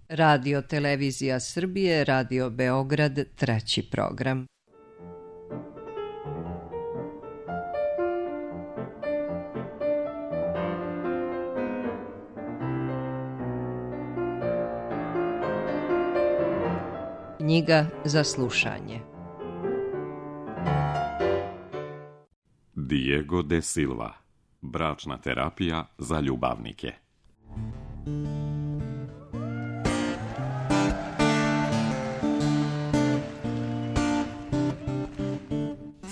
Radio Televizija Srbije, Radio Beograd, 3. program. Knjiga za slušanje. Diego de Silva. Bračna terapija za ljubavnike.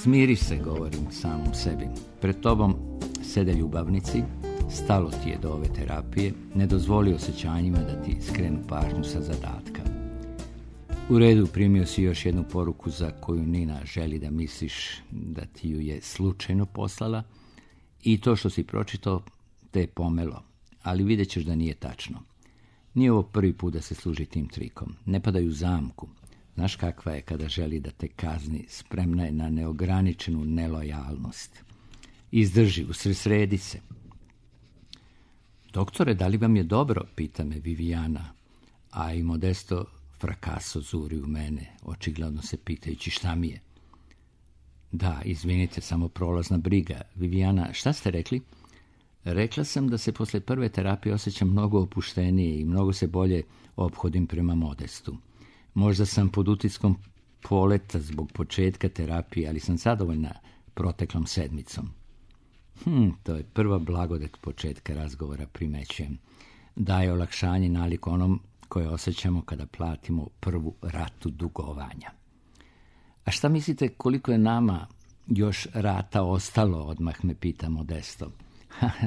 Smiri se, govorim samom sebi. Pred tobom sede ljubavnici, stalo ti je do ove terapije, ne dozvoli osjećanjima da ti skrenu pažnju sa zadatka. U redu, primio si još jednu poruku za koju Nina želi da misliš da ti ju je slučajno poslala i to što si pročitao te je pomelo, ali vidjet ćeš da nije tačno. Nije ovo prvi put da se služi tim trikom. Ne padaj u zamku. Znaš kakva je kada želi da te kazni, spremna je na neograničenu nelojalnost. Izdrži, usredsredi se. Doktore, da li vam je dobro, pita me Viviana, a i Modesto frakaso zuri u mene, očigledno se pitajući šta mi je. Da, izvinite, samo prolazna briga. Viviana, šta ste rekli? Rekla sam da se posle prve terapije osjećam mnogo opuštenije i mnogo se bolje ophodim prema Modestu. Možda sam pod utiskom poleta zbog početka terapije, ali sam zadovoljna proteklom sedmicom. To je prva blagodat početka razgovora, primećujem. Daje olakšanje nalik onom koje osjećamo kada platimo prvu ratu dugovanja. A šta mislite koliko je nama još rata ostalo, odmah me pita Modesto.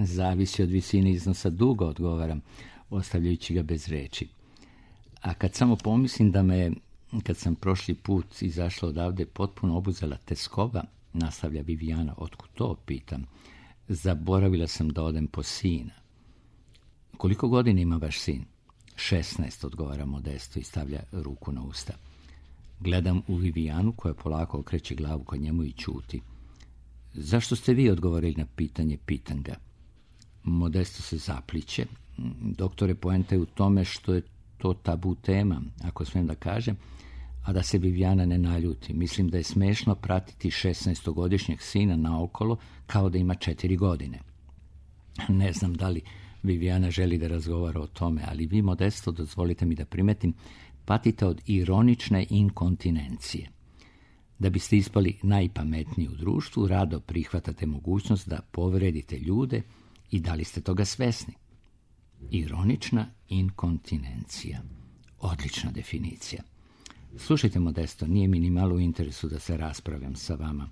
Zavisi od visine iznosa duga, odgovaram, ostavljajući ga bez reči. A kad samo pomislim da me, kad sam prošli put izašla odavde, potpuno obuzela teskova, nastavlja Viviana, otkud to, pitam. Zaboravila sam da odem po sina. Koliko godina ima vaš sin? 16, odgovara Modesto i stavlja ruku na usta. Gledam u Vivianu koja polako okreće glavu ka njemu i ćuti. Zašto ste vi odgovorili na pitanje, pitam ga. Modesto se zapliće. Doktore, poenta je u tome što je to tabu tema, ako smijem da kažem, a da se Viviana ne naljuti. Mislim da je smešno pratiti 16-godišnjeg sina naokolo kao da ima 4 godine. Ne znam da li Viviana želi da razgovara o tome, ali vi, Modesto, dozvolite mi da primetim, patite od ironične inkontinencije. Da biste ispali najpametniji u društvu, rado prihvatate mogućnost da povredite ljude i da li ste toga svesni? Ironična inkontinencija. Odlična definicija. Slušajte, Modesto, nije mi ni malo u interesu da se raspravljam sa vama.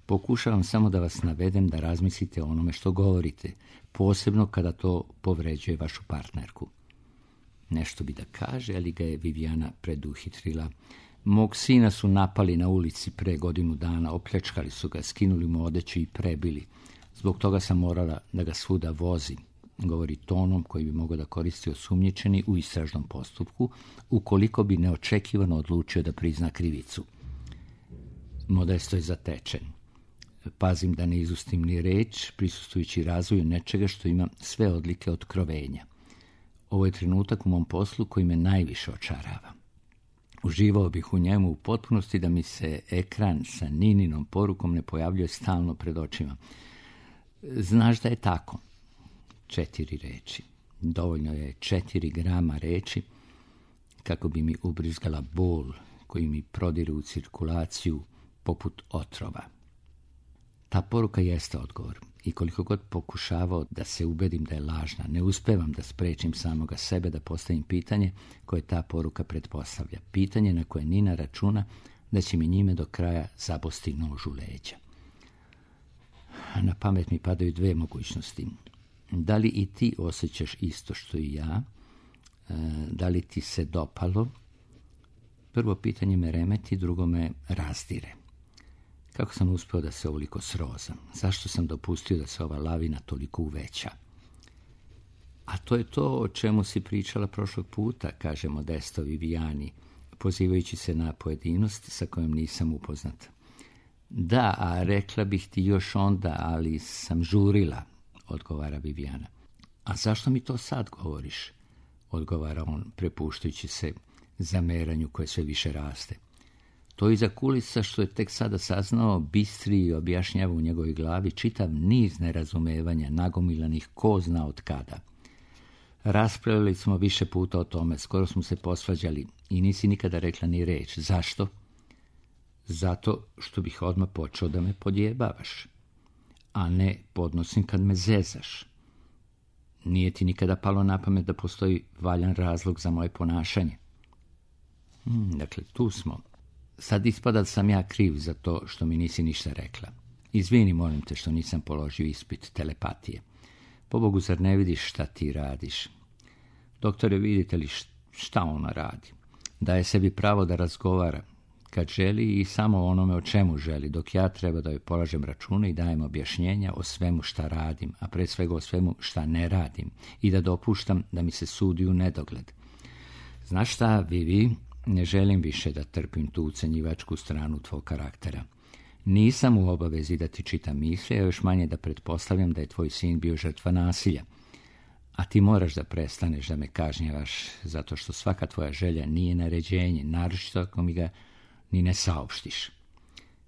Pokušavam samo da vas navedem da razmislite o onome što govorite, posebno kada to povređuje vašu partnerku. Nešto bi da kaže, ali ga je Viviana preduhitrila. Mog sina su napali na ulici pre godinu dana, opljačkali su ga, skinuli mu odeću i prebili. Zbog toga sam morala da ga svuda vozim, govori tonom koji bi mogao da koristi osumnjičeni u istražnom postupku, ukoliko bi neočekivano odlučio da prizna krivicu. Modesto je zatečen. Pazim da ne izustim ni reč, prisustvujući razvoju nečega što ima sve odlike otkrovenja. Ovo je trenutak u mom poslu koji me najviše očarava. Uživao bih u njemu u potpunosti da mi se ekran sa Nininom porukom ne pojavljuje stalno pred očima. Znaš da je tako? 4 reči. Dovoljno je 4 grama reči kako bi mi ubrizgala bol koji mi prodire u cirkulaciju poput otrova. Ta poruka jeste odgovor i koliko god pokušavao da se ubedim da je lažna, ne uspevam da sprečim samoga sebe da postavim pitanje koje ta poruka pretpostavlja. Pitanje na koje Nina računa da će mi njime do kraja zabosti nož u leđa. Na pamet mi padaju 2 mogućnosti. Da li i ti osjećaš isto što i ja? Da li ti se dopalo? Prvo pitanje me remeti, drugo me razdire. Kako sam uspio da se ovoliko srozam? Zašto sam dopustio da se ova lavina toliko uveća? A to je to o čemu si pričala prošlog puta, kaže Modesto Viviani, pozivajući se na pojedinost sa kojom nisam upoznat. Da, a rekla bih ti još onda, ali sam žurila, odgovara Viviana. A zašto mi to sad govoriš? odgovara on, prepuštajući se zameranju koje sve više raste. To iza kulisa, što je tek sada saznao, bistri i objašnjava u njegovoj glavi čitav niz nerazumevanja, nagomilanih ko zna od kada. Raspravljali smo više puta o tome, skoro smo se posvađali i nisi nikada rekla ni reč. Zašto? Zato što bih odmah počeo da me podjebavaš, a ne podnosim kad me zezaš. Nije ti nikada palo na pamet da postoji valjan razlog za moje ponašanje? Dakle, tu smo. Sad ispada da sam ja kriv za to što mi nisi ništa rekla. Izvini, molim te, što nisam položio ispit telepatije. Pobogu, zar ne vidiš šta ti radiš? Doktore, vidite li šta ona radi? Daje sebi pravo da razgovara kad želi i samo onome o čemu želi, dok ja treba da joj polažem račune i dajem objašnjenja o svemu šta radim, a pre svega o svemu šta ne radim, i da dopuštam da mi se sudi u nedogled. Znaš šta, Vivi, ne želim više da trpim tu ucenjivačku stranu tvog karaktera. Nisam u obavezi da ti čitam misli, a još manje da pretpostavljam da je tvoj sin bio žrtva nasilja. A ti moraš da prestaneš da me kažnjavaš, zato što svaka tvoja želja nije naređenje, naročito ako mi ga ni ne saopštiš.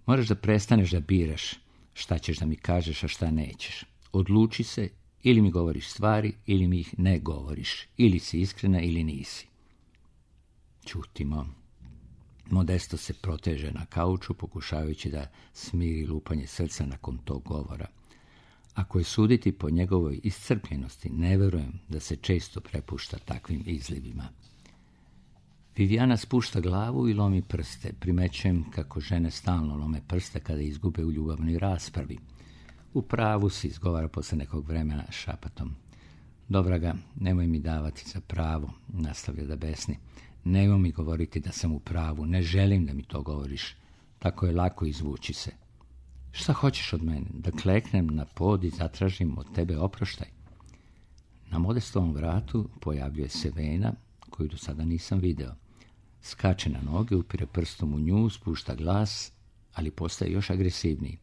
Moraš da prestaneš da biraš šta ćeš da mi kažeš, a šta nećeš. Odluči se, ili mi govoriš stvari, ili mi ih ne govoriš. Ili si iskrena, ili nisi. Ćutimo. Modesto se proteže na kauču, pokušavajući da smiri lupanje srca nakon tog govora. Ako je suditi po njegovoj iscrpljenosti, ne verujem da se često prepušta takvim izlivima. Viviana spušta glavu i lomi prste. Primećujem kako žene stalno lome prste kada izgube u ljubavnoj raspravi. U pravu si, izgovara posle nekog vremena šapatom. Dobra ga, nemoj mi davati za pravo, nastavlja da besni. Nemoj mi govoriti da sam u pravu, ne želim da mi to govoriš. Tako je lako izvući se. Šta hoćeš od mene? Da kleknem na pod i zatražim od tebe oproštaj? Na Modestovom vratu pojavljuje se Vena, koju do sada nisam video. Skače na noge, upire prstom u nju, spušta glas, ali postaje još agresivniji.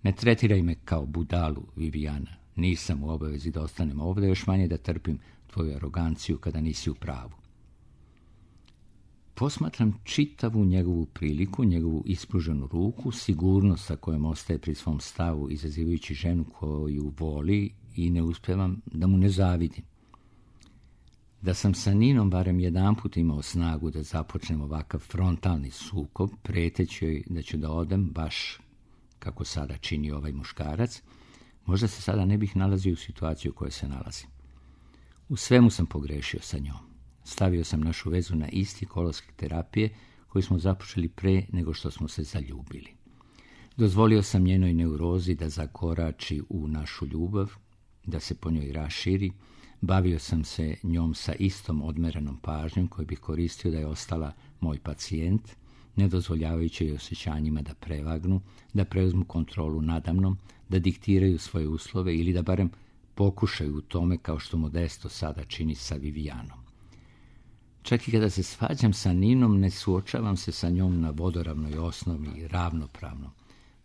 Ne tretiraj me kao budalu, Viviana. Nisam u obavezi da ostanem ovdje, još manje da trpim tvoju aroganciju kada nisi u pravu. Posmatram čitavu njegovu priliku, njegovu ispruženu ruku, sigurnost sa kojom ostaje pri svom stavu, izazivajući ženu koju voli, i ne uspijevam da mu ne zavidim. Da sam sa Ninom barem jedanput imao snagu da započnem ovakav frontalni sukob, preteći joj da ću da odem baš kako sada čini ovaj muškarac, možda se sada ne bih nalazio u situaciju u kojoj se nalazim. U svemu sam pogrešio sa njom. Stavio sam našu vezu na isti kolosek terapije koji smo započeli pre nego što smo se zaljubili. Dozvolio sam njenoj neurozi da zakorači u našu ljubav, da se po njoj raširi. Bavio sam se njom sa istom odmerenom pažnjom koju bih koristio da je ostala moj pacijent, ne dozvoljavajući joj osjećanjima da prevagnu, da preuzmu kontrolu nadamnom, da diktiraju svoje uslove ili da barem pokušaju u tome kao što Modesto sada čini sa Vivianom. Čak i kada se svađam sa Ninom, ne suočavam se sa njom na vodoravnoj osnovi, ravnopravno.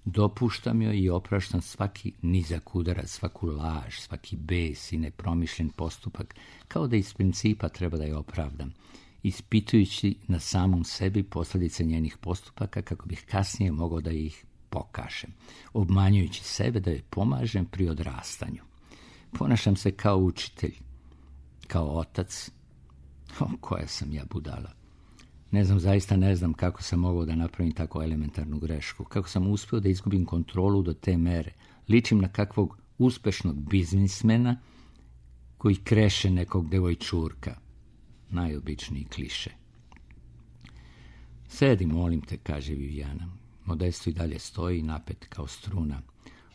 Dopuštam joj i opraštam svaki nizak udarac, svaku laž, svaki bes i nepromišljen postupak, kao da iz principa treba da je opravdam, ispitujući na samom sebi posljedice njenih postupaka kako bih kasnije mogao da ih pokažem, obmanjujući sebe da joj pomažem pri odrastanju. Ponašam se kao učitelj, kao otac. Koja sam ja budala. Zaista ne znam kako sam mogao da napravim tako elementarnu grešku, kako sam uspio da izgubim kontrolu do te mere. Ličim na kakvog uspešnog biznismena koji kreše nekog devojčurka. Najobičniji kliše. Sedi, molim te, kaže Viviana. Modesto i dalje stoji napet kao struna.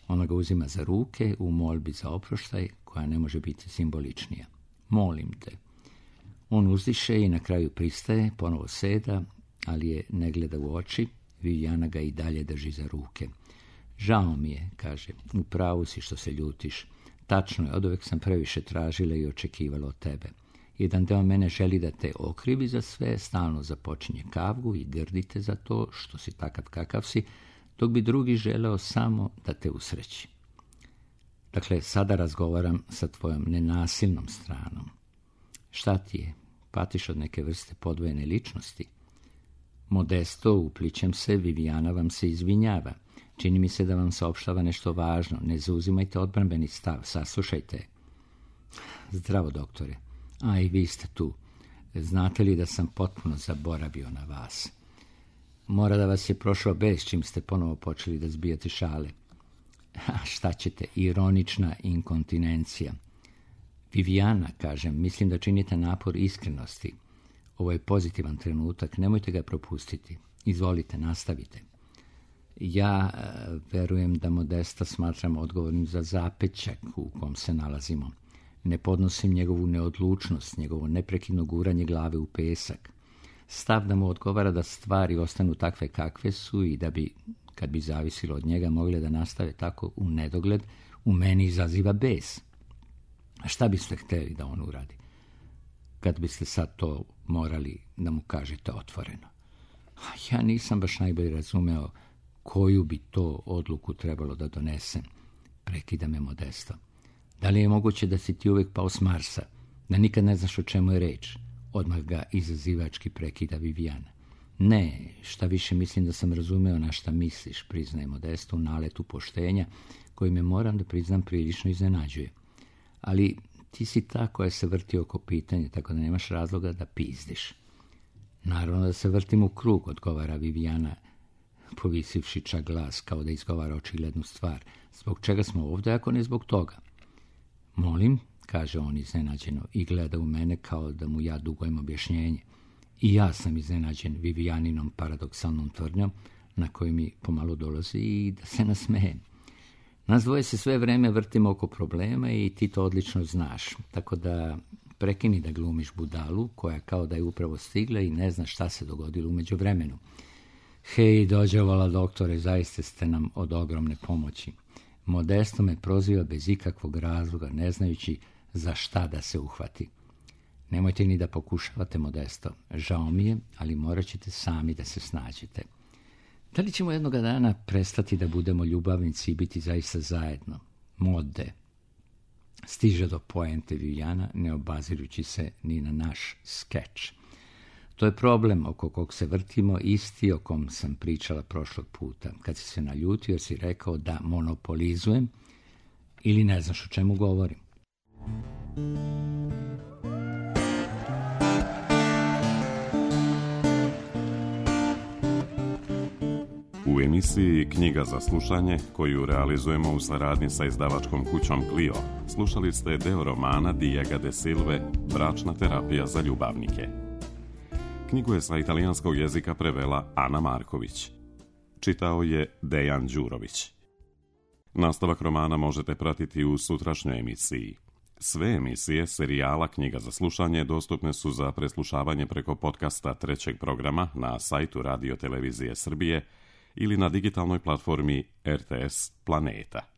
Ona ga uzima za ruke u molbi za oproštaj, koja ne može biti simboličnija. Molim te. On uzdiše i na kraju pristaje, ponovo seda, ali je ne gleda u oči. Viviana ga i dalje drži za ruke. Žao mi je, kaže, u pravu si što se ljutiš. Tačno je, oduvek sam previše tražila i očekivala od tebe. Jedan deo mene želi da te okrivi za sve, stalno započinje kavgu i grdite za to što si takav kakav si, dok bi drugi želeo samo da te usreći. Dakle, sada razgovaram sa tvojom nenasilnom stranom. Šta ti je? Patiš od neke vrste podvojene ličnosti? Modesto, uplićem se, Vivijana vam se izvinjava. Čini mi se da vam saopštava nešto važno. Ne zauzimajte odbrambeni stav, saslušajte. Zdravo, doktore. A i vi ste tu. Znate li da sam potpuno zaboravio na vas? Mora da vas je prošao bes čim ste ponovo počeli da zbijate šale. A šta ćete, ironična inkontinencija. Vivijana, kažem, mislim da činite napor iskrenosti. Ovo je pozitivan trenutak, nemojte ga propustiti. Izvolite, nastavite. Ja verujem da Modesta smatram odgovornim za zapećak u kom se nalazimo. Ne podnosim njegovu neodlučnost, njegovo neprekidno guranje glave u pesak. Stav da mu odgovara da stvari ostanu takve kakve su i da bi, kad bi zavisilo od njega, mogle da nastave tako u nedogled, u meni izaziva bes. A šta biste htjeli da on uradi? Kad biste sad to morali da mu kažete otvoreno. Ja nisam baš najbolje razumeo koju bi to odluku trebalo da donesem. Prekida me Modesto. Da li je moguće da si ti uvijek pao s Marsa, da nikad ne znaš o čemu je reč? Odmah ga izazivački prekida Vivijana. Ne, šta više mislim da sam razumeo na šta misliš, priznaje Modesto u naletu poštenja, koji me, moram da priznam, prilično iznenađuje. Ali ti si ta koja se vrti oko pitanja, tako da nemaš razloga da pizdiš. Naravno da se vrtim u krug, odgovara Vivijana, povisivši čak glas, kao da izgovara očiglednu stvar. Zbog čega smo ovdje, ako ne zbog toga? Molim, kaže on iznenađeno i gleda u mene kao da mu ja dugujem objašnjenje. I ja sam iznenađen Vivijaninom paradoksalnom tvrdnjom, na koju mi pomalo dolazi i da se nasmejem. Nas dvoje se sve vreme vrtimo oko problema i ti to odlično znaš, tako da prekini da glumiš budalu, koja kao da je upravo stigla i ne zna šta se dogodilo u međuvremenu. Hej, dođevala doktore, zaista ste nam od ogromne pomoći. Modesto me proziva bez ikakvog razloga, ne znajući za šta da se uhvati. Nemojte ni da pokušavate, Modesto. Žao mi je, ali morat ćete sami da se snađete. Da li ćemo jednoga dana prestati da budemo ljubavnici i biti zaista zajedno? Mode. Stiže do poente Vivijana, ne obazirući se ni na naš skeč. To je problem oko kog se vrtimo, isti o kom sam pričala prošlog puta, kad si se naljutio jer si rekao da monopolizujem ili ne znaš o čemu govorim. U emisiji Knjiga za slušanje, koju realizujemo u saradnji sa izdavačkom kućom Clio, slušali ste deo romana Diego de Silve Bračna terapija za ljubavnike. Knjigu je sa italijanskog jezika prevela Ana Marković. Čitao je Dejan Đurović. Nastavak romana možete pratiti u sutrašnjoj emisiji. Sve emisije serijala Knjiga za slušanje dostupne su za preslušavanje preko podcasta trećeg programa na sajtu Radio Televizije Srbije ili na digitalnoj platformi RTS Planeta.